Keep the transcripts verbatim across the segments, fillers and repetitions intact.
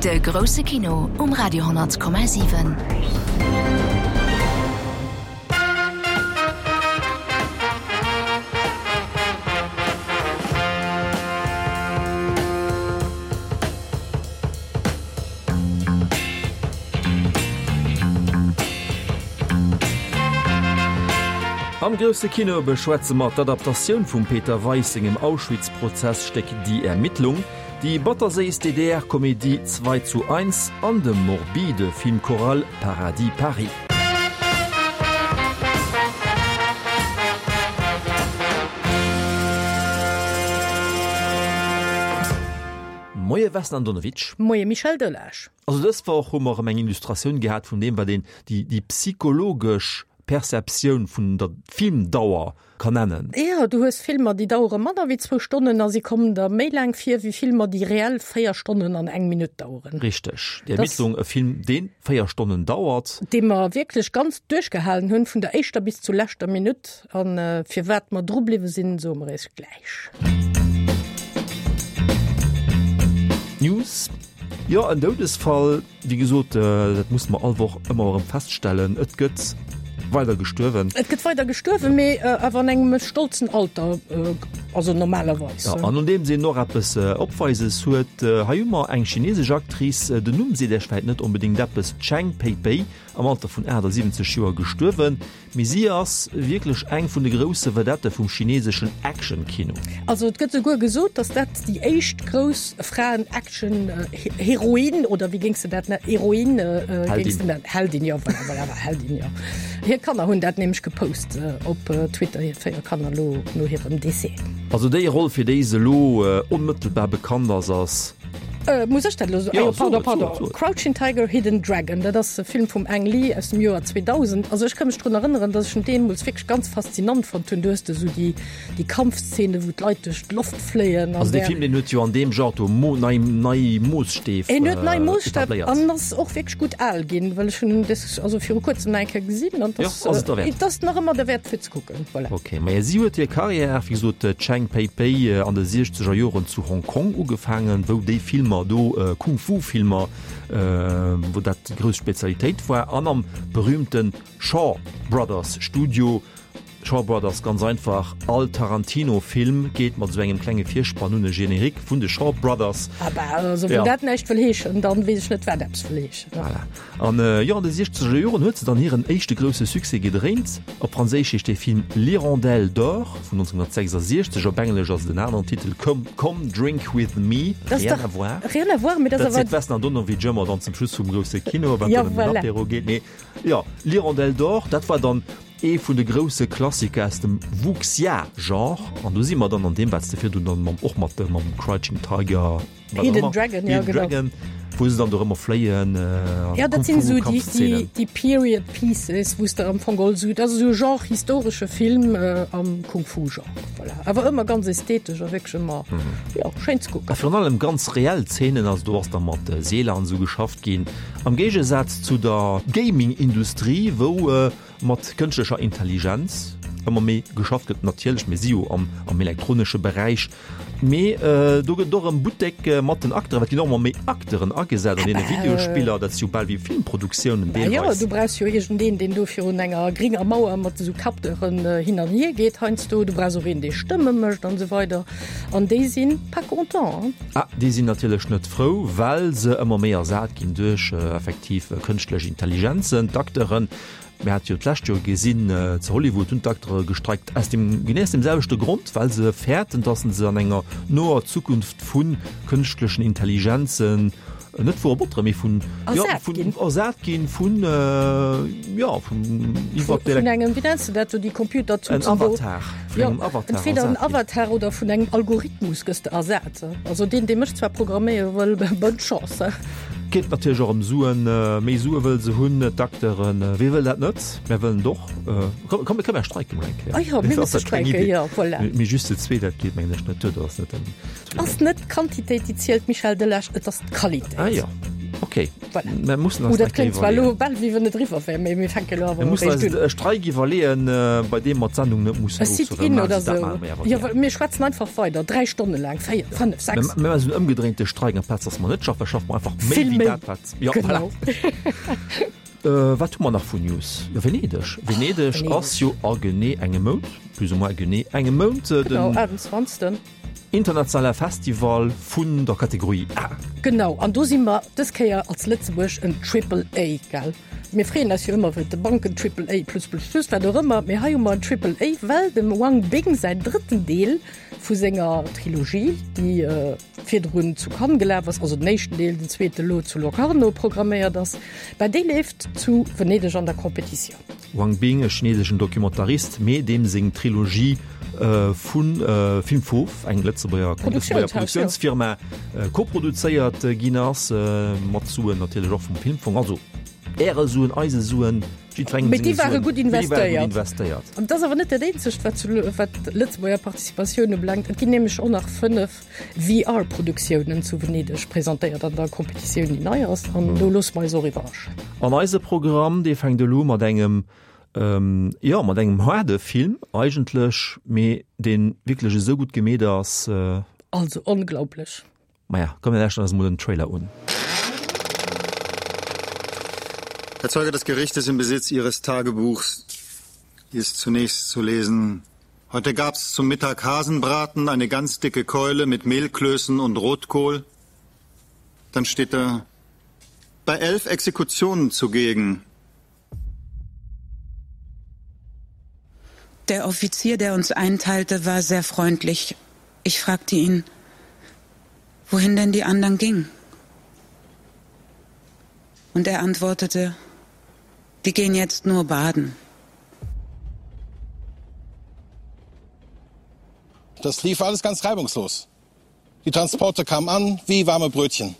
De grousse Kino um Radio honnert Komma siwen. Am grousse Kino beschwätze mer d'Adaptatioun vum Peter Weis sengem Auschwitz-Prozess-Stéck Die Ermittlung, déi batterséiss D D R-Komedie Zwei zu eins an de morbide Film choral Paradis Paris. Moie Vesna Andonovic. Moie Michel Delage. Also dës Woch hu mer erëm eng Illustratioun gehat vun deem, wat een déi, déi psychologesch Perceptioun vun der Filmdauer kann nennen. Jo, du hues Filmer, déi dauere manner wéi zwou Stonnen a si kommen der méi laang vir wéi Filmer, déi reell véier Stonnen an eng Minutt daueren. Richteg. Die Ermittlung, e Film, dee véier Stonnen dauert. Dee mer wierklech ganz duerchgehalen hunn, vun der éischter bis zur leschter Minutt. An firwat mer dru bliwwe sinn, soe mer iech gläich. News, Jo, en Doudesfall, wéi gesot, dat musse mer all Woch ëmmer erëm feststellen, et gëtt weider gestuerwen. Et gëtt weider gestuerwen, mee awer an engem stolzen Alter, also normalerweis. Jo, an nodeems een och eppes Opweises huet, hei hu mer eng chinesesch Actrice, den Numm seet Iech vläit net onbedéngt eppes, d'Cheng Pei-Pei, am Alter vun achtasiwwenzeg Joer gestuerwen. Mee si ass wierklech eng vun de grousse Vedette vum chineseschen Action-Kino. Also et gëtt souguer gesot, datt dat déi éischt grouss Fraen-Action-Heroin, oder wéi géings de dat nennen, Heroin géings de nennen? Heldin, jo, voilà, voilà, Heldin, jo. Hir Kanner hunn dat nämlech gepost op Twitter, hir véier Kanner, lo no hirem Décès. Also déi Roll, fir déi se elo onmëttelbar bekannt ass, ass. Muss ech dat elo soen? Ah jo, pardon, pardon. Crouching Tiger, Hidden Dragon, dat ass e Film vum Ang Lee aus dem Joer zweedausend. Also ech ka mech drun erënneren, datt ech en deemools wierklech ganz faszinant fonnt hunn. Du hues do esou déi, déi Kampfszenen, wou d'Leit duerch d'Loft fléien an. Also dee Film, deen huet jo an deem Genre do mo, nei, nei Moosstäf En huet nei Moosstäb etabléiert. an ass och wierklech gutt al ginn, well ech hunn en des, also viru kuerzem nach eng Kéier gesinn an Jo, ass ass et derwäert. Et ass nach ëmmer derwäert fir ze kucken, voilà. Ok, maja si huet hir Karriär, wéi gesot, d'Cheng Pei-Pei, an de siechzeger Joren zu Hong Kong ugefaangen, wou déi Filmer do, Kung-Fu-Filmer, wou dat déi grouss Spezialitéit war, an am berühmte Shaw Brothers Studio. Shaw Brothers, ganz einfach, all Tarantino-Film geet mat esou engem klenge Virspann un, e Générique vun de Shaw Brothers. Ah bah, also wann dat näischt wëll heeschen, dann weess ech net, wat eppes wëll heeschen. Voilà. An jo, an de siechzeger Joren huet se dann hiren éischte grousse Succès gedréint. Op Franséisch heescht dee Film L'Hirondelle d'Or vun nonzénhunnertsechsasiechzeg, op Englesch ass et en aneren Titel, Come, Come Drink With Me. Rien à voir. Rien à voir, mee dat ass awer. Dat seet d'Vesna Andonovic ëmmer dann zum Schluss vum grousse Kino, wann et dann ëm den Apéro geet. Mee jo, L'Hirondelle d'Or, dat war dann ee vun de grousse Klassiker aus dem Wuxia-Genre. An do si mer dann an deem, wat s de virdrun dann mam, och mat mam Crouching Tiger, wat och ëmmer, Hidden Dragon, ja, Hidden Dragon, wou se dann do ëmmer fléien an Ja, dat sinn esou déi, déi, déi Period Pieces, wou s de am Fong geholl esou, dat ass esou e Genre historesche Film am Kung-Fu-Genre, voilà. Awer ëmmer ganz ästhetesch a wierklech ëmmer, jo, schéin ze kucken. A virun allem ganz reell Zeenen, also do ass da mat Seeler an esou geschafft ginn, am Géigesaz zu der Gaming-Industrie, wou mat kënschtlecher Intelligenz ëmmer méi geschafft gëtt, natierlech, mir si jo am am elektronesche Beräich, mee do gëtt et och erëm Buttek mat den Acteuren, well et ginn och ëmmer méi Acteuren agesat an deene Videospiller, dat si jo bal wéi Filmproduktiounen Bah jo, deelweis. du brauchs jo iergendeen, deen do virun enger gringer Mauer mat esou Capteuren hin an hier geet heiansdo, du brauchs och een, dee Stëmme mécht an esou weider an déi si pas content, hein. Ah, déi sinn natierlech net frou, well se ëmmer méi ersat ginn duerch effektiv kënschtlech Intelligenzen, d'Acteuren. Mir hate jo d'lescht Joer gesinn, zu Hollywood hunn d'Acteure gestreikt aus dem, genee aus deem selwechte Grond, well se fäerten, datt se an enger noer Zukunft vu kënschtlechen Intelligenzen, net vu Roboteren, mee vun, jo, Ersat vun, ginn. ersat ginn vun, jo, vun iwwer Vun engem, wéi nenns de dat, sou déi En Computerzutzen do? Avatar, vun Jo, engem Avatar entweder en ersat ginn. Avatar oder vun engem Algorithmus gëss de ersat. Also deen, dee mech zwar programméiere wëll, bonne chance. Geet natierlech och ëm Suen, méi Sue wëlle se hunn, d'Acteuren. Wie wëll dat net? Mär wëllen et och. Komm, komm, komm mär streiken mol eng Kéier. Ah jo, mir musse streiken, jo, voilà. Mee just ze zwee, dat geet mengen ech net duer. Dat ass net den. Ass net d'Quantitéit, déi zielt, Michel Delage, et ass d'Qualitéit. Ah jo, ok. Okay. Voilà. Mir mussen eis Oh, dat eng Kéier kléngt zwar elo iwwerleeën. bal wéi wann et eriwwer wär, mee mir fänke elo awer Mir mussen eréischt eis un. e Streik iwwerleeën, äh, bei deem mer d'Sendung net mussen E Sit-in ofsoen. oder Dat sou. maache mir awer Jo, gär. well mir schwätzen einfach weider, dräi Stonne laang, véier, fënnef, sechs. Mir maachen esou en ëmgedréinte Streik, amplaz dass mer net schaffen, schaffe mer einfach méi Vill wéi méi. dat, wat. Ja, Genau. voilà. Äh, wat hu mer nach vun News? Jo, Venedeg. Venedeg Venedeg. ass jo a genee engem Mount, plus ou moins genee engem Mount, äh, Genau, den achtenzwanzegsten. internationale Festival vun der Kategorie A. Genau, an do si mer dës Kéier als Lëtzebuerg en Triple A, gell? Mir freeën eis jo ëmmer, wëll de Banken Triple A plus plus plus, wat och ëmmer, mee hei hu mer en Triple A, well dem Wang Bing säin drëtten Deel vu senger Trilogie, déi virdrun zu Cannes gelaf ass, also den éischten Deel, den zweete lo zu Locarno programméiert ass, bah dee leeft zu Venedeg an der Competitioun. Wang Bing, e chineseschen Documentarist, mee deem seng Trilogie vu Film Fauve, eng Lëtzebuerger Produktiounsfirma, koproduzéiert ginn ass, mat Suen natierlech och vum Filmfong, also Äre Suen, eise Suen, jiddwerengem Mee déi senge ware Suen, gutt mee déi ware gutt investéiert. investéiert. An et ass awer net dat eenzegt, wat zu wat d'Lëtzebuerger Participatioun ubelaangt. Et ginn nämlech och nach fënnef V R-Produktiounen zu Venedeg presentéiert an der Competitioun, déi nei ass. An do loosse mer eis och iwwerraschen. An eise Programm, dee fänkt elo mat engem, jo, mat engem haarde Film eigentlech, mee dee wierklech esou gutt gemeet ass. Also onglaublech. Maja, komm mir lauschteren eis emol den Trailer un. Herr Zeuge, das Gericht ist im Besitz Ihres Tagebuchs. Hier ist zunächst zu lesen: Heute gab's zum Mittag Hasenbraten, eine ganz dicke Keule mit Mehlklößen und Rotkohl. Dann steht da: Bei elf Exekutionen zugegen. Der Offizier, der uns einteilte, war sehr freundlich. Ich fragte ihn, wohin denn die anderen gingen. Und er antwortete, die gehen jetzt nur baden. Das lief alles ganz reibungslos. Die Transporte kamen an wie warme Brötchen.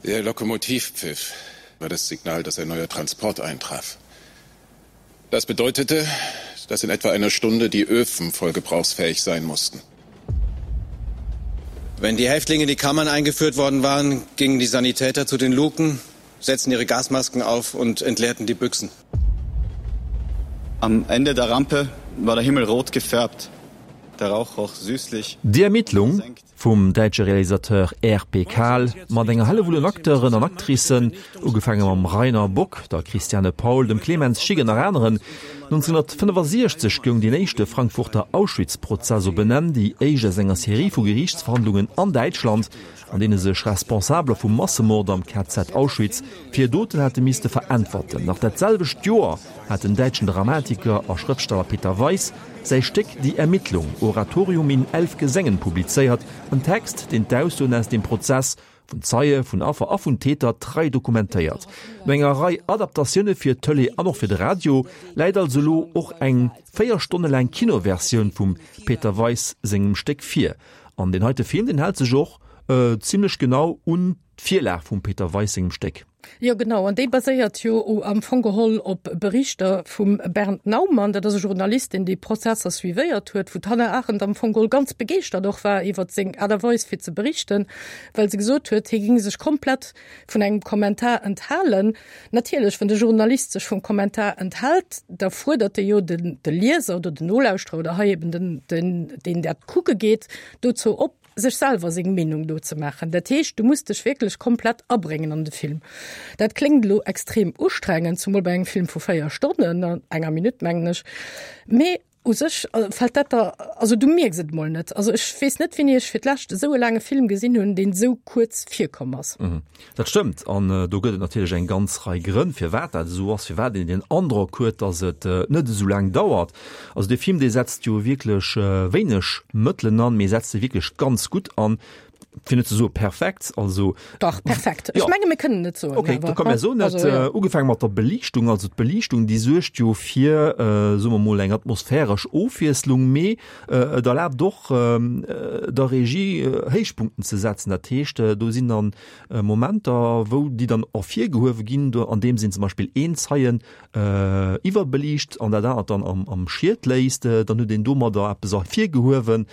Der Lokomotivpfiff war das Signal, dass ein neuer Transport eintraf. Das bedeutete, dass in etwa einer Stunde die Öfen voll gebrauchsfähig sein mussten. Wenn die Häftlinge in die Kammern eingeführt worden waren, gingen die Sanitäter zu den Luken, setzten ihre Gasmasken auf und entleerten die Büchsen. Am Ende der Rampe war der Himmel rot gefärbt. Der Rauch roch süßlich. Die Ermittlung vum däitsche Realisateur R P Kahl mat enger Hellewull un Acteuren an Actricen, ugefaange mam Rainer Bock, der Christiane Paul, dem Clemens Schick an nach aneren. neunzehnhundertfënnefasiechzeg goung deen éischte Frankfurter Auschwitz-Prozess op en Enn, déi éischt aus enger Serie vu Geriichtsverhandlungen an Däitschland, an deene sech Responsabeler vum Massemord am K Z Auschwitz fir hir Doten hate misste veräntwerten. Nach dat selwecht Joer hat den däitschen Dramatiker a Schrëftsteller Peter Weiss säi Stéck Die Ermittlung, Oratorium in elf Gesängen publizéiert, en Text, deen d'Aussoen aus deem Prozess vun Zeie, vun Affer a vun Täter trei dokumentéiert. No enger Rei Adaptatioune fir d'Tëlee an och fir de Radio läit also elo och eng véier Stonne laang Kinoversioun vum Peter Weiss sengem Stéck vir. An deen heite Film, deen hält sech och zimlech genau un d'Virlag vum Peter Weiss sengem Stéck. Jo genau, an déi baséiert jo am Fong geholl op Berichter vum Bernd Naumann, dat ass e Journalist, deen déi Prozesser suivéiert huet, wou d'Hannah Arendt am Fong geholl ganz begeeschtert och war iwwert seng Aart a Weis fir ze berichten, well se gesot huet, hie géing sech komplett vun engem Kommentar enthalen. Natierlech, wann de Journalist sech vum Kommentar enthält, da fuerdert e jo den de Lieser oder den Nolauschterer oder hei eben den, den, deen dat kucke geet, dozou op, sech selwer seng Meenung do ze maachen. Dat heescht, du muss dech wierklech komplett abréngen an de Film. Dat kléngt elo extrem ustrengend, zumol bei engem Film vu véier Stonnen an enger Minutt, mengen ech, mee u sech fält dat der, also du mierks et mol net. Also ech weess net, wéini ech fir d'lescht esou e laange Film gesinn hunn, deen esou kuerz virkomm ass. Dat stëmmt, an do gëtt et natierlech eng ganz Rei Grënn, firwat dat esou ass, firwat een den Androck huet, datt et net esou laang dauert. Also dee Film, dee setzt jo wierklech wéineg Mëttelen an, mee setzt se wierklech ganz gutt an. fir net ze soe perfekt, also. Dach, perfekt. Ech menge mir kënnen et soen. Okay, da komm mir soen et. Ugefaange mat der Beliichtung, also d'Beliichtung déi suergt jo fir, soe mer mol, eng atmosphäresch Ofwiesslung, mee et erlaabt och der Regie Héichpunkten ze setzen. Dat heescht, do sinn dann Momenter, wou déi dann ervirgehuewe ginn, do andeems een zum Beispill een Zeien iwwerbeliicht an dat anert dann am Schiet léisst, dann huet een domadder eppes ervirgehuewen.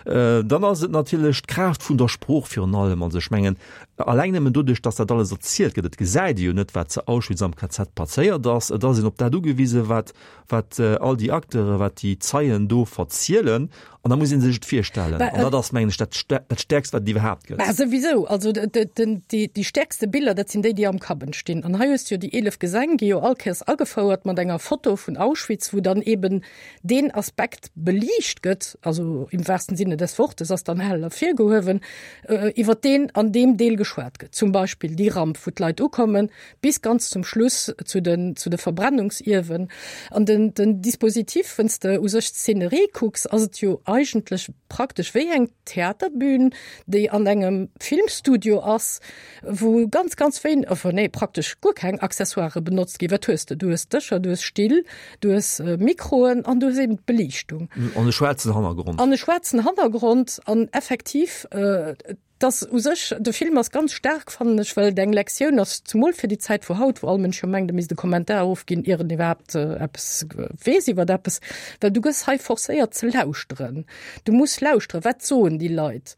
Dann ass et natierlech d'Kraaft vun der Sprooch virun allem. Also ech mengen, alleng nëmmen doduerch, datt dat alles erzielt gëtt, et gesäit ee jo net, wat zu Auschwitz am K Z passéiert ass, et ass een op dat ugewisen, wat, wat all déi Acteuren, wat déi Zeien do verzielen, an da muss ee sech et virstellen. An dat ass, mengen ech, dat, dat Stäerkst, wat et iwwerhaapt gëtt. Mä souwisou, also déi, déi stäerkste Biller, dat sinn déi, déi am Kapp entstinn. An hei hues de jo déi eelef Gesäng, gi jo all Kéiers agefouert mat enger Foto vun Auschwitz, wou dann eben deen Aspekt beliicht gëtt, also im wahrsten Sinne des Wortes ass dann hell ervirgehuewen, iwwer deen an deem Deel geschwat gëtt. Zum Beispill déi Ramp, wou d'Leit ukommen, bis ganz zum Schluss zu den, zu de Verbrennungsiewen. An den, den Dispositif, wann s de u sech d'Szenerie kucks, ass et jo eigentlech praktesch wéi eng Theaterbün, déi an engem Filmstudio ass, wou ganz, ganz wéin, enfin nee, praktesch guer keng Accessoiren benotzt ginn. Wat hues de? Du hues Dëscher, du hues Still, du hues Mikroen an du hues eben d'Beliichtung. An e schwaarzen Hannergrond. An e schwaarzen Hannergrond an effektiv, dass u sech, de Film ass ganz staark, fannen ech, well et eng Lektioun ass, zemol fir déi Zäit vu haut, wou all Mënsch jo mengt, e misst e Kommentar ofginn, ier en iwwerhaapt eppes weess iwwert eppes, well du gëss hei forcéiert ze lauschteren. Du muss lauschteren, wat soen déi Leit?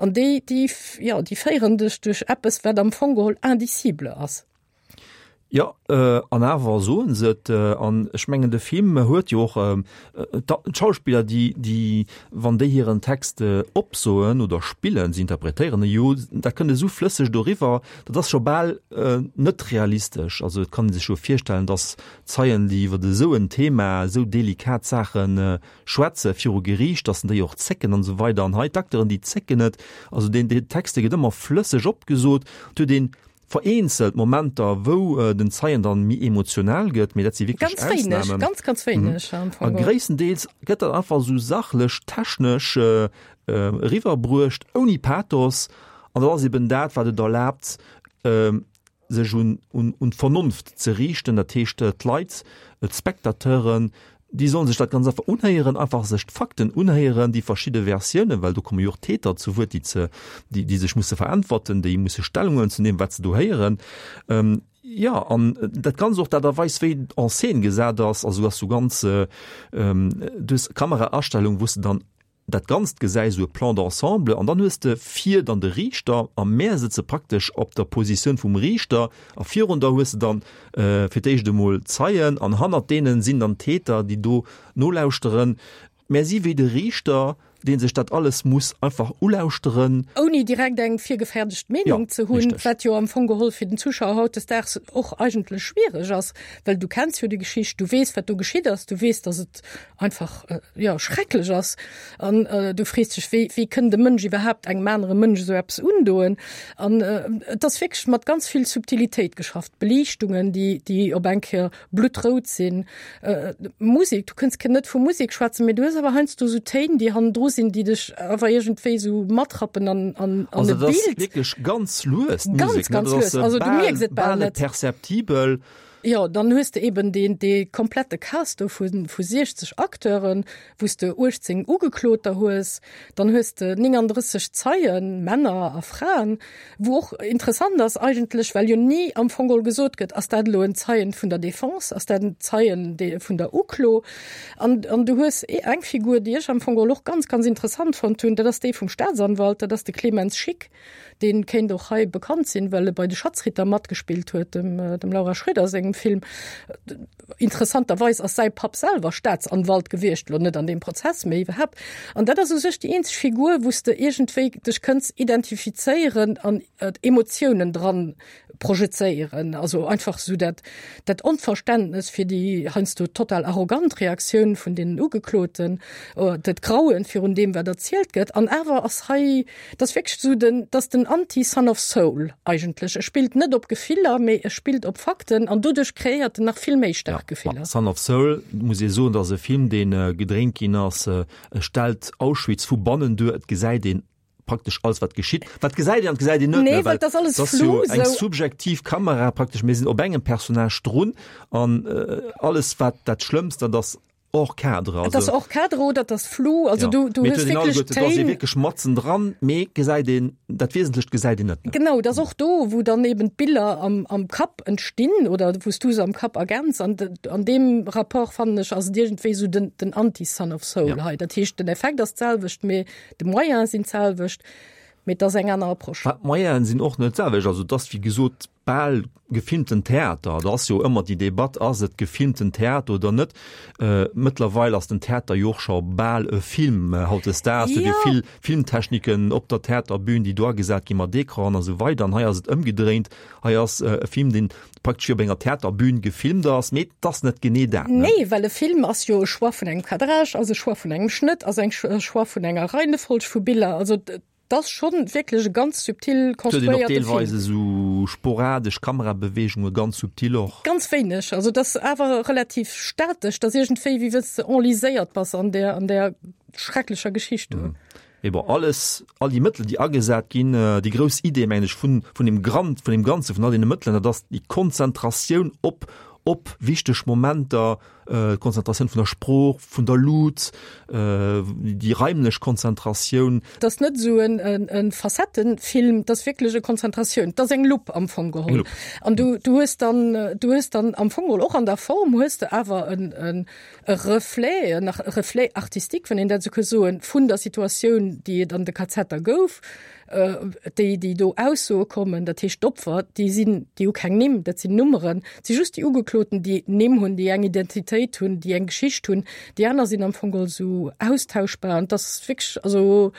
An déi, déi, jo, déi féieren dech duerch eppes, wat am Fong geholl indicible ass. Jo, an awer soen se et. An ech mengen, de Film huet jo och d'Schauspiller, déi, déi, wann déi hiren Text opsoen oder spillen, se interpretéieren e jo, dat kënnt esou flësseg doriwwer, dat ass scho bal net realistesch. Also et kann ee sech jo virstellen, datt Zeien, déi iwwer esou en Thema, esou delikat Saache schwätze viru Geriicht, datt déi och zécken an esou weider. An hei d'Acteuren, déi zécken net. Also deen, deen Text, dee gëtt ëmmer flësseg opgesot. Et huet een Vereenzelt Momenter, wou den Zeien dann méi emotional gëtt, mee dat si wierklech Ganz wéineg, Ausnamen. ganz, ganz wéineg am A Fong. gréisstendeels gëtt dat einfach esou sachlech, technesch eriwwerbruecht, ouni Pathos. An dat ass eben dat, wat et erlaabt, sech un, un, un d'Vernonft ze riichten. Dat heescht, d'Leit, d'Spectateuren, Déi sollen sech dat ganz einfach unhéieren, einfach sech d'Fakten unhéieren, déi verschidde Versiounen, well do komme jo och Täter zu Wuert, déi ze, déi, déi sech musse veräntwerten, déi musse Stellung huelen zu deem, wat se do héieren. Jo, an dat Ganzt och d'Aart a Weis, wéi et en scène gesat ass, also ass sou ganz, du hues Kameraastellung, wou s de dann dat Ganzt gesäis, esou e Plan d'ensemble, an dann hues de vir dann de Riichter, a mär sëtze praktesch op der Positioun vum Riichter, a virun der hues de dann fir d'éischt emol d'Zeien, an hannert deenen sinn dann d'Täter, déi do nolauschteren. Mär si wéi de Riichter, dee sech dat alles muss einfach ulauschteren. Ouni direkt eng virgefäerdegt Meenung ze hunn, wat jo am Fong geholl fir den Zuschauer hautdesdaags och eigentlech schwiereg ass, well du kenns jo déi Geschicht, du weess, wat do geschitt ass, du weess, datt et einfach jo schrecklech ass an du frees dech, wéi wéi kënnt e Mënsch iwwerhaapt engem anere Mënsch esou eppes undoen? An et ass wierklech mat ganz vill Subtilitéit geschafft, Beliichtungen, déi déi op eng Kéier bluttrout sinn, Musek, du kënns net vu Musek schwätzen, mee du hues awer heiansdo esou Téin, déi hannendru sinn, déi dech awer iergendwéi esou matrappen an an an Also e et ass Bild. wierklech ganz lues Ganz, d'Musek, ne? ganz Dat lues, ass also du bal mierks et bal bal net net. perceptibel. Jo, dann hues de eben deen, dee komplette Cast do vu, vu siechzeg Acteuren, wou s de uechtzéng Ugekloter hues, dann hues de nénganddrësseg Zeien, Männer a Fraen, wou och interessant ass eigentlech, well jo ni am Fong geholl gesot gëtt, ass dat elo en Zeien vun der Defense, ass dat en Zeien dee vun der Uklo? An, an du hues eng Figur, déi ech am Fong geholl och ganz, ganz interessant fonnt hunn, dat ass déi vum Staatsanwalt, dat ass de Clemens Schick, Deen kéint och hei bekannt sinn, well e bei De Schatzritter matgespillt huet, dem dem Laura Schröder sengem Film. Interessanterweis ass säi Papp selwer Staatsanwalt gewiescht, lo net an deem Prozess, mee iwwerhaapt. An dat ass u sech déi eenzeg Figur, wou s de iergendwéi dech kënns identifizéieren an Emotiounen dran projezéieren. Also einfach esou dat dat Onverständnes fir déi heiansdo total arrogant Reaktioun vun deenen Ugekloten, dat Grauen virun deem, wat erzielt gëtt. An awer ass hei, dat ass wierklech esou den, dat ass den Anti-Son of Saul eigentlech. E spillt net op Gefiller, mee e spillt op Fakten an doduerch kreéiert en nach vill méi staark Gefiller. Son of Saul, muss ee soen, dat ass e Film, dee gedréint ginn ass, e stellt Auschwitz vu bannen duer, et gesäit een praktesch alles wat geschitt. Wat gesäit een an gesäit een net, Nee, well dat ass alles flou, eng sou. subjektiv Kamera praktesch, mir sinn op engem Personnage drun an alles wat dat Schlëmmst, dat ass hors cadre. Et ass hors cadre oder et ass flou, also du du hues wierklech Téin. Do ass ee Téin. wierklech matzen dran, mee gesäit een, dat Wesentlecht gesäit een net. Genau, et ass och do, wou dann eben d'Biller am am Kapp entstinn oder wou s du se am Kapp ergänz an an deem Rapport fannen ech ass et iergendwéi sou den den Anti-Son of Saul hei. Dat heescht den Effekt ass d'selwecht, mee de Moyene sinn d'selwecht, mee et ass eng aner Approche. Mä d'Moyene sinn och net d'selwecht. Also et ass wéi gesot bal gefilmten Theater. Da ass jo ëmmer déi Debatt, ass et gefilmten Theater oder net? Mëttlerweil ass den Theater jo och scho bal e Film. Hautdesdaags huet ee vill Filmtechniken op der Theaterbün, déi do agesat gi mat Ecranen a sou weider. An hei ass et ëmgedréint. Hei ass e Film, deen praktesch wéi op enger Theaterbün gefilmt ass, mee et ass net genee dat, ne? Nee, well e Film ass jo e Choix vun engem Cadrage, ass e Choix vun engem Schnëtt, ass eng e Choix vun enger Reihenfolg vu Biller. Also et ass schonn wierklech e ganz subtil Et huet een och konstruéierte Film. deelweis esou sporadesch Kamerabeweegunge, ganz subtil och. Ganz wéineg, also et ass awer relativ statesch, et ass iergendwéi wéi wann s de enliséiert bass an där an där schrecklecher Geschicht do. Mee bon, alles, all déi Mëttel, déi agesat ginn, déi grouss Idee, mengen ech, vun, vun deem Grand, vun deem Ganze, vun all deene Mëttelen, dat ass déi Konzentratioun op, op wichteg Momenter, d'Konzentratioun vun der Sprooch, vun der Lut, déi raimlech Konzentratioun. Et ass net esou en, en, e Facettenfilm, et ass wierklech e Konzentratioun, et ass eng Lupp am Fong geholl. Eng Lupp. An du, du hues dann, du hues dann am Fong geholl och an der Form hues de awer en, en, e Reflet, en Reflet artistique, wann een dat esou ka soen, vun der Situatioun, déi et an de Kazetter gouf, déi, déi do Aussoe kommen, dat heescht d'Opfer, déi sinn, déi hu keng Nimm, dat sinn Nummeren, et si just déi Ugekloten, déi Nimm hunn, déi eng Identitéit hunn, déi eng Geschicht hunn, déi aner sinn am Fong geholl esou austauschbar an dat ass wierklech, also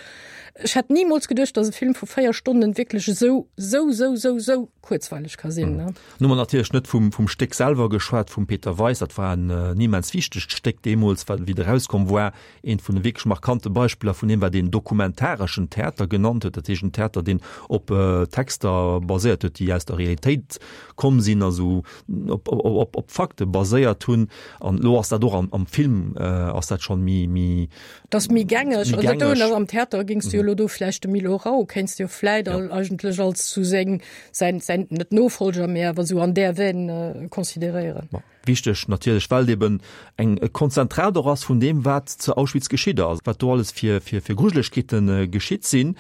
ech hätt nimools geduecht, datt e Film vu véier Stonnen wierklech esou, esou, esou, esou, esou kuerzweileg ka sinn. Nun hu mer natierlech net vum, vum Stéck selwer geschwat, vum Peter Weis. Dat war en immens wichtegt Stéck deemools, well wéi et erauskomm war, eent vun de wierklech markante Beispiller vun deem, wat een dokumentareschen Theater genannt huet, dat heescht en Theater, deen op Texter baséiert huet, déi aus der Realitéit komm sinn, also op, op, op Fakte baséiert hunn. An elo ass dat och am, am Film ass dat schonn méi, méi. Dat ass méi gängeg. Méi gängeg. Am Theater géings du jo elo do vläicht de Milo Rau kéints du jo vläit ja. eigentlech als zu seng, säin, säin, net Nofolger, mee awer esou an där Veine consideréieren. Bon, wichteg natierlech, well et eben eng e Konzentrat och ass vun deem, wat zu Auschwitz geschitt ass, wat do alles fir, fir, fir Grujelegkeete geschitt sinn.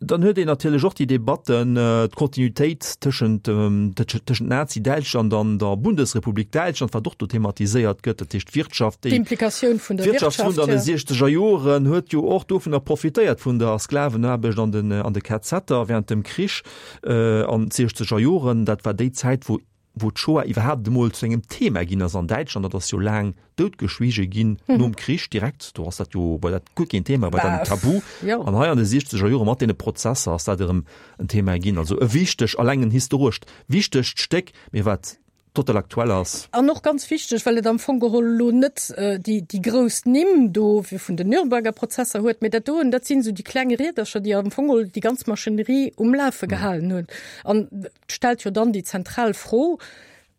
Dann huet een natierlech och déi Debatten, d'Kontinuitéit tëschent, tëschent Nazi-Däitschland an der Bundesrepublik Däitschland, wat och do thematiséiert gëtt, dat heescht d'Wirtschaft, déi D'Implikatioun vun der D'Wirtschaft vun Wirtschaft, an de jo. siechzeger Joren huet jo och dovunner profitéiert, vun der Sklavenaarbecht an den, an de KZer während dem Krich an d'siechzeger Joren. Dat war déi Zäit, wou, wou d'Shoah iwwerhaapt emol zu engem Thema ginn ass an Däitschland. Dat ass jo laang doutgeschwiege ginn nom Krich direkt. Do ass dat jo, war dat guer keen Thema, war dat en Tabu. An hei an de siechzeger Jore mat deene Prozesser ass dat erëm en Thema ginn. Also e wichteg, alleng en historescht wichtegt Stéck, mee wat total aktuell ass. An och ganz wichteg, well et am Fong geholl elo net déi, déi grouss Nimm do wéi vun den Nürnberger Prozesser huet, mee dat doen, dat sinn esou déi kleng Riedercher, déi am Fong geholl déi ganz Maschinerie um Lafe gehalen hunn. An et stellt jo dann déi zentral Fro,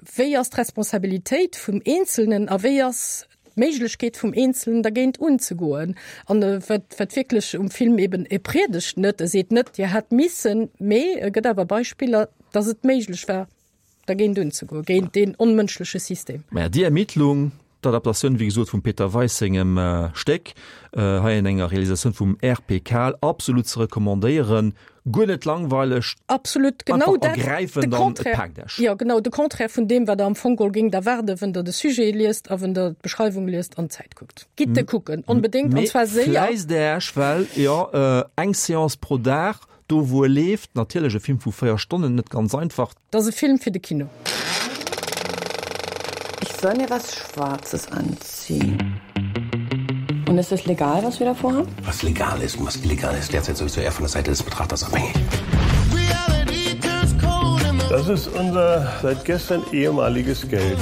Wéi ass d'Responsabilitéit vum Eenzelnen a wéi ass d'Méiglechkeet vum Eenzelnen dergéint unzegoen? An wat, wat wierklech um Film eben, e priedegt net, e seet net, Dir hätt missen, mee e gëtt awer Beispiller, dass et méiglech war, dergéint unzegoen, géint deen onmënschleche System. Maja, Die Ermittlung, d'Adaptatioun, wéi gesot, vum Peter Weis sengem Stéck, hei an enger Realisatioun vum R P Kahl, absolut ze recommandéieren, guer net langweileg, Absolut, genau einfach dat, de ergräifend an et Contraire, paakt Iech. jo, genau, de Contraire vun deem, wat Der am Fong geholl géingt erwaarden, wann Der de Sujet liest a wann Der d'Beschreiwung liest an d'Zäit kuckt. Gitt e kucken, onbedéngt, an Mee zwar séier. fläisst Iech, well, jo, eng Seance pro Dag, Do wou e leeft, natierlech e Film vu véier Stonnen, net ganz einfach. Et ass e Film fir de Kino. Ich soll mir was Schwarzes anziehen. Und ist es legal, was wir da vorhaben? Was legal ist und was illegal ist, derzeit sowieso eher von der Seite des Betrachters abhängig. Das ist unser seit gestern ehemaliges Geld.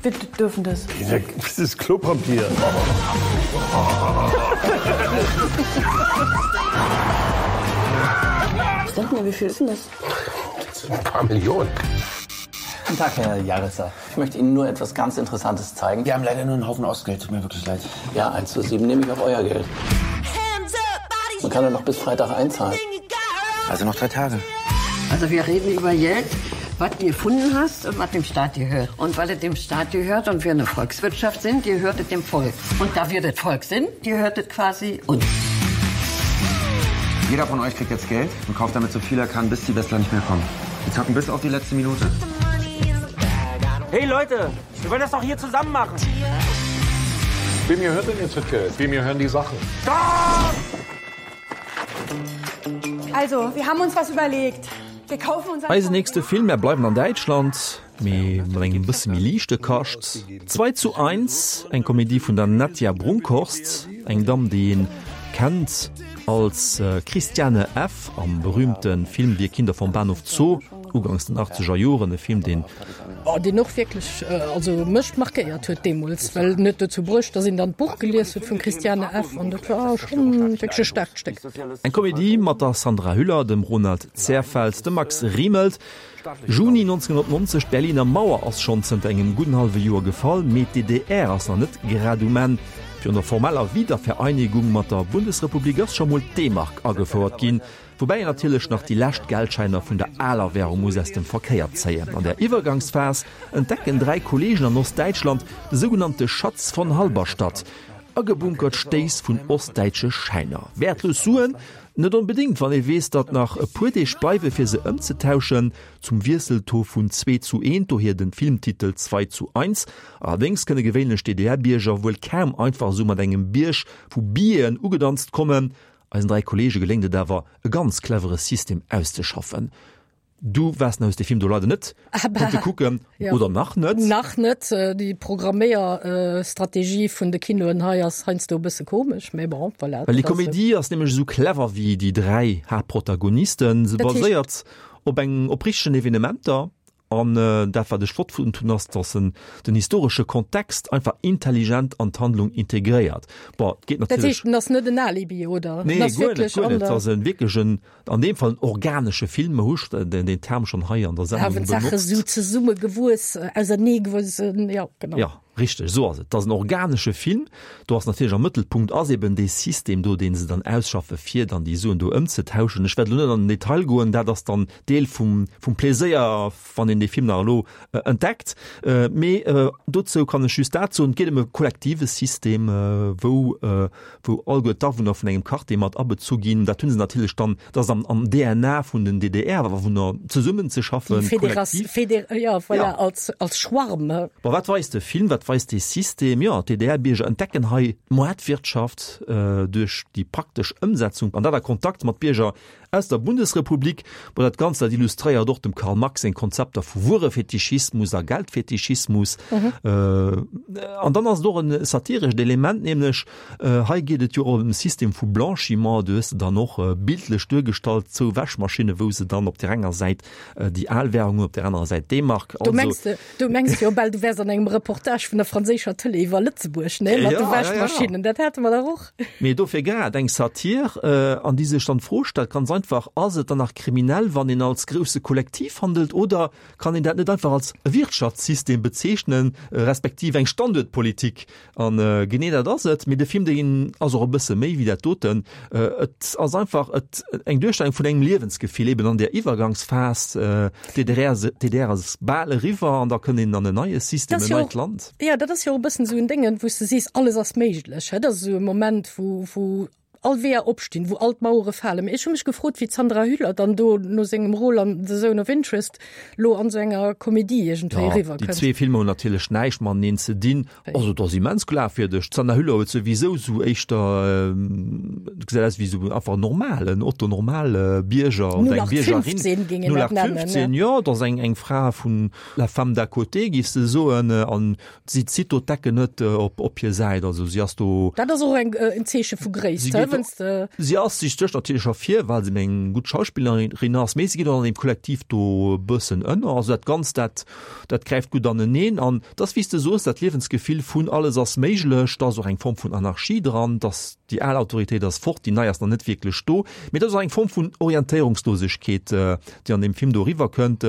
Wir dürfen das. Das ist Klopapier. Was denken wir, wie viel ist denn das? Das sind ein paar Millionen. Guten Tag, Herr Jaritzer. Ich möchte Ihnen nur etwas ganz Interessantes zeigen. Wir haben leider nur einen Haufen Ostgeld, tut mir wirklich leid. Ja, eins zu sieben nehme ich auch euer Geld. Man kann ja noch bis Freitag einzahlen. Also noch drei Tage. Also wir reden über Geld, was du gefunden hast und was dem Staat gehört. Und weil es dem Staat gehört und wir eine Volkswirtschaft sind, gehört es dem Volk. Und da wir das Volk sind, gehört es quasi uns. Jeder von euch kriegt jetzt Geld und kauft damit so viel er kann, bis die Westler nicht mehr kommen. Wir zocken bis auf die letzte Minute. Hey Leute, wir wollen das doch hier zusammen machen. Wem gehört denn jetzt das Geld? Wem gehören die Sachen? Stopp! Also, wir haben uns was überlegt. Wir kaufen uns Eisen nächste Film, mir bleiwen an Däitschland, mee mat engem bësse méi liichte Kascht. Zwei zu eins, eng Komedie vun der Nadja Brunkhorst, eng Damm, déi een kennt als Christiane F. am berühmte Film Wir Kinder vom Bahnhof Zoo, ugangs den achtzeger Joren, e Film, deen. Oh, deen och wierklech, also mech markéiert huet deemools, well en huet dozou bruecht, dass een dann d'Buch gelies huet vum Christiane F. an dat war schonn wierklech e staarkt Stéck. Eng Komedie mat der Sandra Hüller, dem Ronald Zehrfeld, dem Max Riemelt. Juni neunzehnhundertneunzeg, D'Berliner Mauer ass schonn zënter engem gudden hallwe Joer gefall, mee d'D D R ass nach net grad um Enn. Virun der formeller Wiedervereinigung mat der Bundesrepublik ass scho mol d'D-Mark agefouert ginn, woubäi een natierlech nach déi lescht Geldschäiner vun der aler Währung muss aus dem Verkéier zéien. An der Iwwergangsphas entdecken dräi Kolleegen an Ostdäitschland de sougenannte Schatz von Halberstadt, agebunkert Stéiss vun ostdäitsche Schäiner. Wäertlos Suen? Net onbedéngt, wann ee weess, datt nach e puer Deeg bleiwe fir se ëmzetauschen, zum Wiesseltaux vun zwee zu eent, dohier den Filmtitel Zwei zu eins. Allerdéngs kënne gewéinlech D D R-Bierger wuel kaum einfach esou mat engem Bierg vu Billeten ugedanzt kommen. Eisen dräi Kolleege geléngt et awer, e ganz clevere System auszeschaffen. Du waars hues de Film do leider net konnte kucken, oder nach net? Nach net. Déi Programméierstrategie vun de Kinoen hei ass heiansdo e bësse komesch, mee bon, voilà. Well déi Komedie ass nämlech esou clever wéi déi dräi Haaptprotagonisten. Se baséiert op eng op richtegen Evenementer. An dat wat ech flott fonnt hunn ass, datt en den historesche Kontext einfach intelligent an d'Handlung integréiert. Bon, et geet Dat natierlech. heescht, en ass net en Alibi, oder? Nee, En ass guer net, wierklech guer an net. Et der. ass en wierklech en, an deem Fall en organesche Film. Mer hu den, den Term schonn hei an der Sendung Hawen d'Sache benotzt. sou zesummegewuess, auserneegewuess, jo, genau. Ja, richteg, esou ass et. Et ass en organesche Film. Do ass natierlech am Mëttelpunkt ass eben dee System do, dee se dann ausschaffe fir dann déi Suen do ëmzetauschen. Ech wäert elo net an den Detail goen, dat ass dann Deel vum, vum Pleséier, wann een dee Film nach elo entdeckt. Mee dozou kann ech just dat soen, et geet ëm e kollektive System, wou, wou alleguer d'Awunner vun engem Quartier mat abezu ginn. Dat hu se natierlech dann, dat ass am, am D N A vun den D D R-Awunner, zesummenzeschaffen, Déi Federas, kollektiv. Feder, ja, voilà, Ja. als, als Schwarm. Bon, wat weist de Film, wat weist dee System? Jo, d'D D R-Bierger entdecken hei d'Moartwirtschaft duerch déi praktesch Ëmsetzung an dat a Kontakt mat Bierger aus der Bundesrepublik. Bon, dat Ganzt, dat illustréiert och dem Karl Marx seng Konzepter vu Wuerefetischismus a Geldfetischismus. An dann ass et och e satirescht Element, nämlech hei geet et jo och ëm e System vu Blanchiment, do hues de dann och bildlech duergestallt zwou Wäschmaschinne, wou se dann op där enger Säit déi al Währung hunn, op där anerer Säit D-Mark. Du mengs de, du mengs jo bal, du wäers an engem Reportage vun der franséischer Tëlee iwwer Lëtzebuerg, ne, mat de Ja, ja, ja. Wäschmaschinnen, dat hate mer dach och. Mee dofir grad eng Satir, an déi sech dann d'Fro stellt, ganz einfach, Ass et dann nach kriminell, wann een als grousse Kollektiv handelt, oder kann een dat net einfach als e Wirtschaftssystem bezeechnen, respektiv eng Standuertpolitik? An genee dat ass et. Mee de Film, deen ass och e bësse méi wéi dat doten. Et ass einfach et eng Duerstellung vun engem Liewensgefill eben an där Iwwergangsphas, d'D D R, d'D D R ass bal eriwwer an da kënnt een an en neie System, Dat ass en jo neit och, Land. ja, dat ass jo och e bëssen esou en Déngen, wou s de sees, alles ass méiglech. Dat ass esou e Moment, wou, wou all Weeër opstinn, wou all d'Mauere falen. Mee ech hu mech gefrot, wéi d'Sandra Hüller dann do no sengem Rôle an The Zone of Interest lo an esou enger Komedie iergendwéi Ja, eriwwer déi kënnt. zwee Filmer hunn natierlech näischt mateneen ze dinn. Also et ass immens glafwierdeg. D'Sandra Hüller huet souwisou sou éischter, gesäit aus wéi sou einfach normalen, Otto Normal Bierger oder eng Biergerin. null acht fünfzehn géing een dat nennen, ne? null acht fünfzehn, jo, et ass eng, eng Fra vun la femme d'à côté, giffs de soen, an si zitt do d'Decken net op, op hir Säit. Also si ass do. Dat ass och eng, en Zeeche vu Gréisst, Si hä, geet wenn's de. Si ass, si stécht natierlech ervir, well se eng gutt Schauspillerin ass, mee si geet och an deem Kollektiv do e bëssen ënner. Also dat Ganzt, dat, dat gräift gutt aneneen an et ass, wéi s de soos, dat Liewensgefill vun alles ass méiglech, da ass och eng Form vun Anarchie dran, dass déi al Autoritéit ass fort, déi nei ass nach net wierklech do, mee et ass och eng Form vun Orientéierungslosegkeet, déi an deem Film do eriwwerkënnt.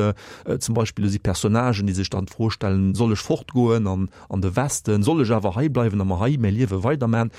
Zum Beispill do si Personnagen, déi sech dann d'Fro stellen, soll ech fortgoen an, an de Westen, soll ech awer hei bleiwen a mer hei mäi Liewe weiderman?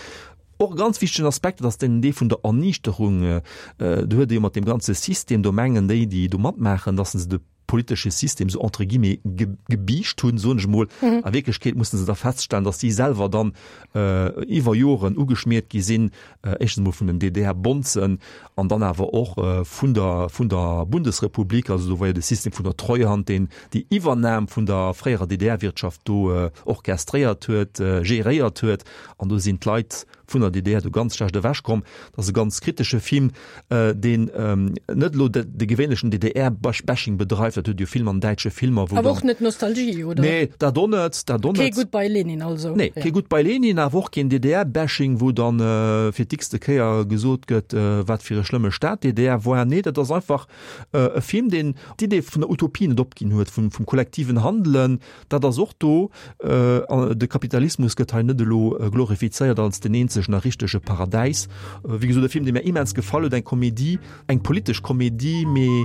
Och e ganz wichtegen Aspekt, dat ass den dee vun der Erniichterung. Do huet ee jo mat deem ganze System, do mengen déi, déi do matmaachen, dass se de politesche System sou entre guillemets gebiischt hunn, soen ech emol. A Wierklechkeet mussen se da feststellen, dass si selwer dann iwwer Joren ugeschmiert gi sinn, éischtens emol vun den D D R-Bonzen an dann awer och vun der vun der Bundesrepublik. Also do war jo de System vun der Treuhand, deen déi Iwwernam vun der fréierer D D R-Wirtschaft do orchestréiert huet, geréiert huet. An do sinn d'Leit vun der D D R do ganz schlecht ewech komm. Dat ass e ganz kritesche Film, deen net elo de gewéinlechen D D R-Bashing bedreift, dat huet jo vill mat däitsche Filmer, wou. Awer och net Nostalgie, oder? Nee, dat och net, dat och net. Kee Goodbye Lenin also. Nee, kee Goodbye Lenin, awer och keen D D R-Bashing, wou dann fir d'x-te Kéier gesot gëtt, wat fir e schlëmme Staat d'D D R war. Nee, dat ass einfach e Film, deen d'Idee vun der Utopie net opginn huet, vum kollektiven Handelen, dat ass och do. De Kapitalismus gëtt hei net elo glorifizéiert als den eenzegen a richtege Paradäis. Wéi gesot, e Film, dee mir immens gefall huet, eng Komedie, eng politesch Komedie, mee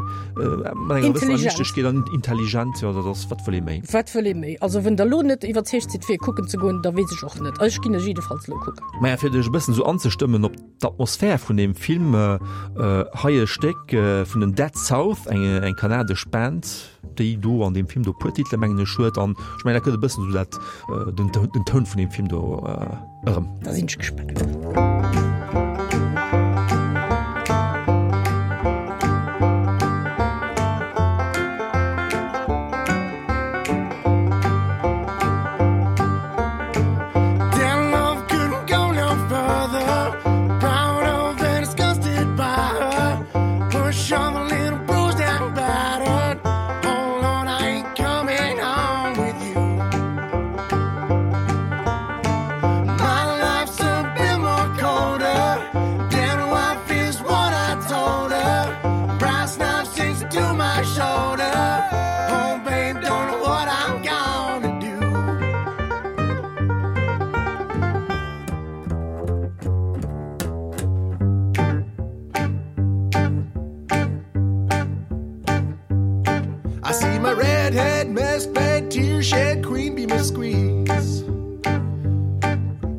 mat enger gewëssener Liichtegkeet an intelligent. Jo, dat ass, wat wëll ee méi? Wat wëll ee méi? Also, wenn Der elo net iwwerzeegt sidd, fir e kucken ze goen, da weess ech och net. Ech ginn e jiddefalls elo kucken. Maja, fir dech e bëssen esou anzestëmmen op d'Atmosphär vun deem Film, hei e Stéck vun den Dead South, eng eng kanadesch Band, déi do an deem Film do e puer Titele mengen ech huet an ech mengen dat gëtt e bëssen esou dat den den Toun vun deem Film do erëm. Da sinn ech gespaant. I see my redhead mess bed tear shed queen bee miss squeeze.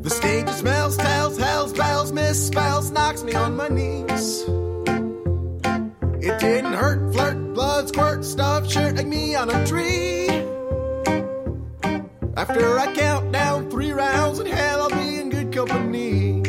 The stage smells tells hell's bells misspells knocks me on my knees. It didn't hurt flirt blood squirt stuff shirt like me on a tree. After I count down three rounds in hell I'll be in good company.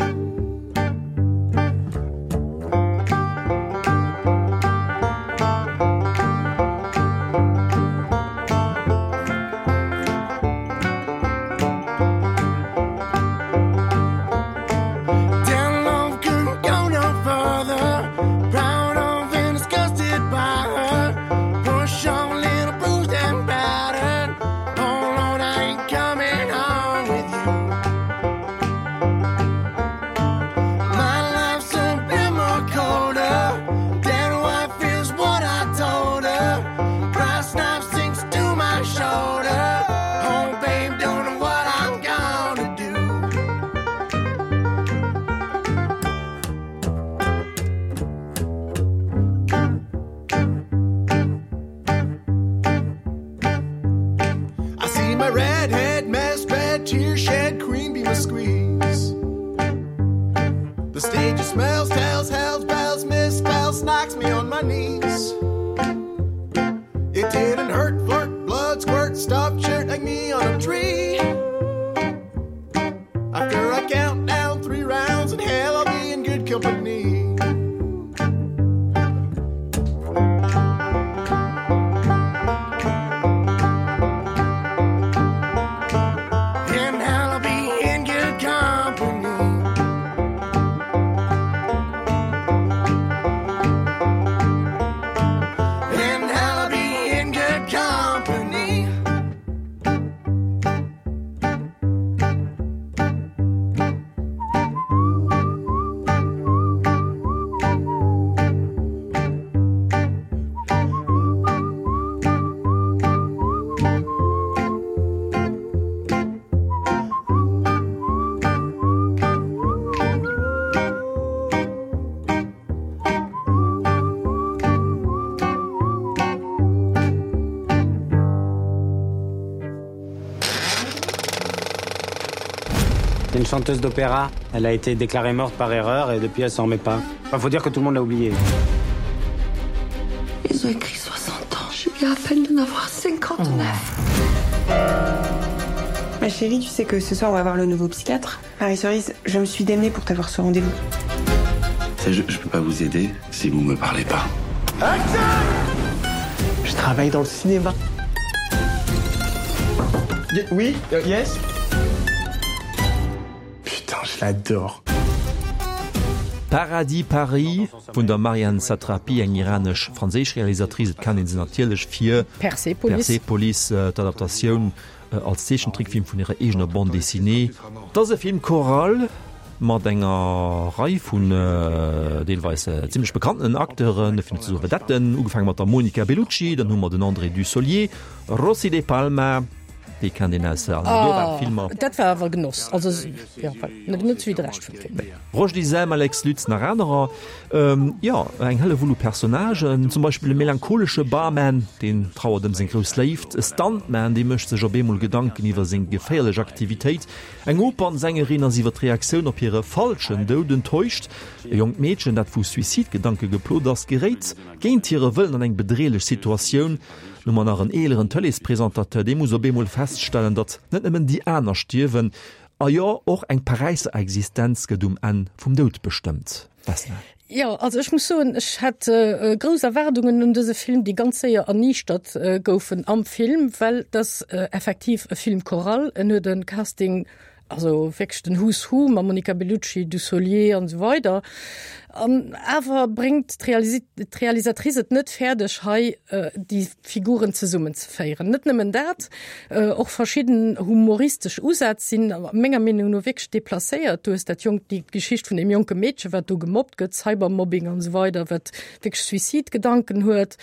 une chanteuse d'opéra. Elle a été déclarée morte par erreur et depuis elle s'en remet pas. Enfin, faut dire que tout le monde l'a oubliée. Ils ont écrit soixante ans. Je viens à peine d'en avoir cinquante-neuf. Oh. Ma chérie, tu sais que ce soir on va voir le nouveau psychiatre. Marie-Cerise, je me suis démenée pour t'avoir ce rendez-vous. Je, je peux pas vous aider si vous me parlez pas. Action Je travaille dans le cinéma. Y oui, euh, yes. Putain, je l'adore. Paradis Paris vun der Marjane Satrapi, eng iranesch-franséisch Realisatrice, et kennt een se natierlech fir Persepolis, Persepolis, d'Adaptatioun als Zeechentrickfilm vun hirer eegener Bande dessinée. Et ass e Film choral mat enger Rei vun deelweis zimmlech bekannten Acteuren, fir net ze soe Vedetten, ugefaange mat der Monica Bellucci, dann hu mer den André Dussolier, Rossy de Palma, Déi kennt een aus Almodovar-Filmer. Oh, dat war awer Genoss. Also, ja, voilà. Net wéi de Rescht vum Film. Roschdy Sem, Alex Lutz, nach anerer. Jo, eng Hellewull u Personnagen. Zum Beispill e melancholesche Barman, deen trauert ëm seng grouss Léift. E Stuntman, dee mécht sech op eemol Gedanken iwwer seng geféierlech Aktivitéit. Eng Opernsängerin ass iwwer d'Reaktioun op hire falschen Doud enttäuscht. E jonkt Meedchen, dat vu Suizidgedanke geplot ass, geréit géint hire Wëllen an eng bedreelech Situatioun. Hu mer nach en eeleren Tëleespresentateur, dee muss op eemol feststellen, datt net nëmmen déi aner stierwen, a jo, och eng Paräisser Existenz gëtt um Enn vum Doud bestëmmt. Vesna. Jo, also ech muss soen, ech hat grouss Erwaardungen un dëse Film, déi ganz séier erniichtert goufen am Film, well et ass effektiv e Film choral, en huet e Casting, also wierklech den Who's Who mam Monica Bellucci, Dussolier an esou weider. An awer bréngt d'Realisatrice et net fäerdeg, hei déi Figuren zesummenzeféieren. Net nëmmen dat, och verschidden humoristesch Usätz sinn menger Meenung no wierklech deplacéiert. Du hues dat jonkt, déi Geschicht vun deem jonke Meedche, wat do gemobbt gëtt, Cybermobbing an esou weider, wat wierklech Suizidgedanken huet.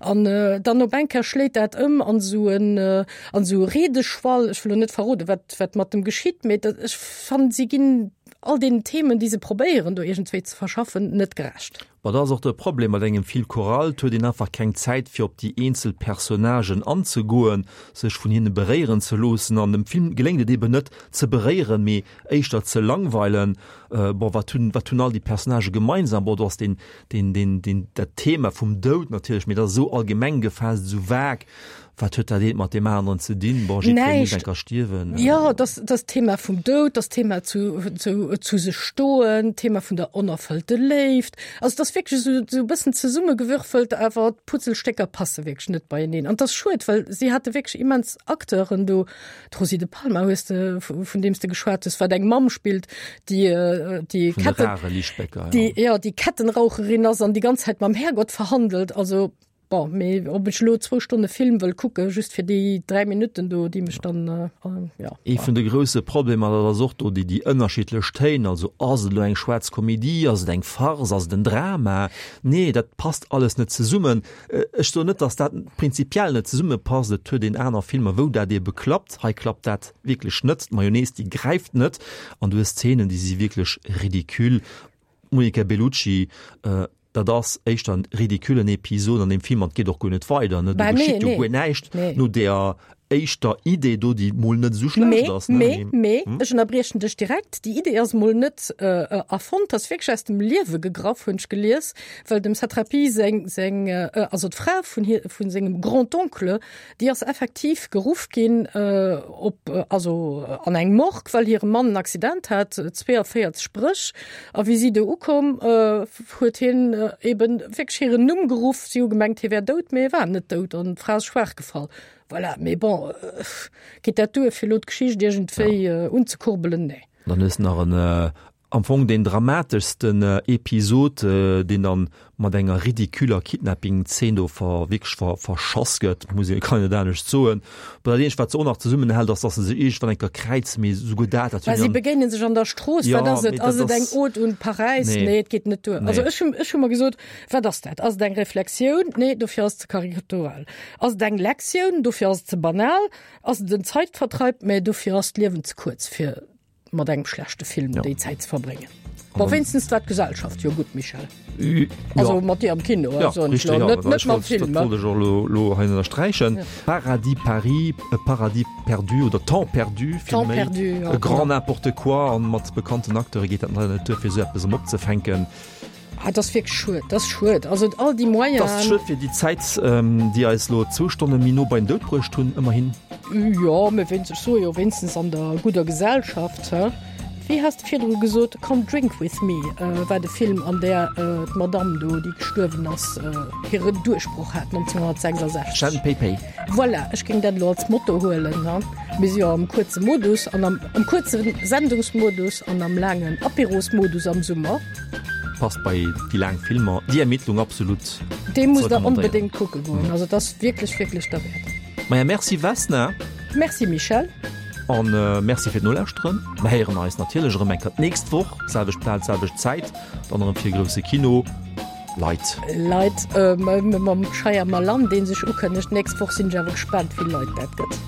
An dann op eng Kéier schléit dat ëm an esou en, an esou e Redeschwall. Ech wëll elo net verroden, wat, wat mat em geschitt, mee dat, ech fannen, si ginn all deenen Themen, déi se probéieren do iergendwéi ze verschaffen, net gerecht. Ma dat ass och de Problem mat engem Fil choral, et huet een einfach keng Zäit fir op déi eenzel Personnagen anzegoen, sech vun hinne beréieren ze loossen. An dem Film geléngt et eben net ze beréieren, mee éischter ze langweilen. Bon, wat hunn, wat hunn all déi Personnagë gemeinsam? Bon, do ass deen, deen, deen, deen, dat Thema vum Doud natierlech, mee dat ass esou allgemeng gefaasst, esou vague. Wat huet dat eent mat deem aneren ze dinn? Bon, jiddweree muss Näischt. eng Kéier stierwen. Jo, dass, dass d'Thema vum Doud, dass d'Thema zu, zu, zu sech stoen, d'Thema vun der onerfëllte Léift. Also, et ass wierklech esou, esou e bëssen zesummegewürfelt, awer d'Putzelstécker passe wierklech net beieneen. An et ass schued, well si hate wierklech immens Acteuren do. D'Rosie de Palma hues de, vun deem s de geschwat hues, wat eng Mamm spillt, déi, déi Vun de Ketten, rare Lichtblécker, ja. déi, jo, déi Kettenraucherin ass an déi ganz Zäit mam Herrgott verhandelt. Also, Bon, mee ob ech elo zwou Stonne Film wëll kucke just fir déi dräi Minutten do, déi mech dann, jo. Ee vun de grousse Problemer, dat ass och do déi, déi ënnerschiddlech Téin. Also ass et elo eng schwaarz Komedie, ass et eng Farce, ass et en Drama? Nee, dat passt alles net zesummen. Ech soen net, datt dat prinzipiell net zesummepasst. Et huet een aner Filmer, wou dat eebe klappt. Hei klappt dat wierklech net. D'Mayonnaise, déi gräift net. An du hues Zeenen, déi si wierklech ridicule. D'Monica Bellucci, dat ass éischter en ridiculen Episod an deem Film an et geet och guer net weider, ne? Do Bah, nee, geschitt jo nee. guer näischt Nee. no deeër éischter Idee do, déi mol net esou schlecht Mee, ass, ne? mee, Mee, mee, ech ënnerbriechen dech direkt, déi Idee ass mol net erfonnt, ass wierklech aus dem Liewe gegraff, hunn ech gelies, well dem Satrapi seng, seng, also d'Fra vun hir, vun sengem Grand-oncle, déi ass effektiv geruff ginn op, also an eng Morgue, well hire Mann en Accident hat, zweeënvéierzeg Bréch. A wéi si do ukoum, huet hien eben wierklech hiren Numm geruff. Si hu gemengt, hie wär dout, mee e war net dout an d'Fra ass schwaach gefall. Voilà, mee bon, geet dat duer, fir elo d'Geschicht iergendwéi unzekurbelen? Nee. Dann hues de nach en am Fong deen dramateschsten Episod, deen dann mat enger ridiculer Kidnapping-Zeen do ver, wierklech ver, verschass gëtt, muss een, kann een net anescht soen. Bon, dat eenzegt, wat se och nach zesummenhält, ass, dass se sech iergendwann eng Kéier kräizen, mee souguer dat, dat Well hunn si déi an. begéinen sech an der Strooss, Jo, wat ass et? mee Ass dat et eng ass. Ode un Paräis? Nee. Nee, et geet net duer. Also Nee. ech hunn, ech hu mer gesot, wat ass dat? Ass et eng Reflexioun? Nee, dofir ass et ze karikatural. Ass et eng Lektioun? Dofir ass et ze banal. Ass et en Zeitvertreib? Mee dofir ass d'Liewen ze kuerz, fir mat engem schlechte Film déi Zäit ze verbréngen. Bon, wéinstens war d'Gesellschaft jo gutt, Michel. Also mat dir am Kino, Ja, also richtig, elo ja, net, net ech mam wollt, Film. dat wollt ech och elo, elo hei ënnersträichen. Ja. Paradis Paris, e Paradis perdu oder Temps perdu vill Temps méi. perdu, ja, E grand genau. n'importe quoi an mat bekannten Acteure geet dat leider net duer, fir esou eppes erëm opzefänken. Ah, dat ass wierklech schued, dat ass schued. Also all déi Moyenen. Dat ass schued fir déi Zäit, déi eis elo zwou Stonne méi no bei den Doud bruecht hunn, ëmmerhin. Jo, mä wéinst, ech soe jo, wéinstens an der gudder Gesellschaft, he? Wéi has de virdru gesot, Come Drink With Me war de Film, an där d'Madamm do, déi gestuerwen ass, hire Duerchbroch hat nonzénghonnertsechsasechzeg. Chen Pei Pei. Voilà, ech géing dat elo als Motto huelen, he? Mir si jo am kuerze Modus an am, am kuerze Sendungsmodus an am laangen Apérosmodus am Summer. Passt bei déi laang Filmer, Die Ermittlung absolut Dee ze musst der recommandéieren. onbedéngt kucke goen, also et ass wierklech, wierklech derwäert. Maja, merci Vesna. Merci Michèle. An merci fir d'Nolauschteren. Mer héieren eis natierlech erëm eng Kéier d'nächst Woch, selwecht Plaz, selwecht Zäit, dann erëm fir grousse Kino. Leit. Leit, mam Shyamalan, dee sech ukënnegt d'nächst Woch, sinn ech awer gespaant, wéi vill Leit dat gëtt.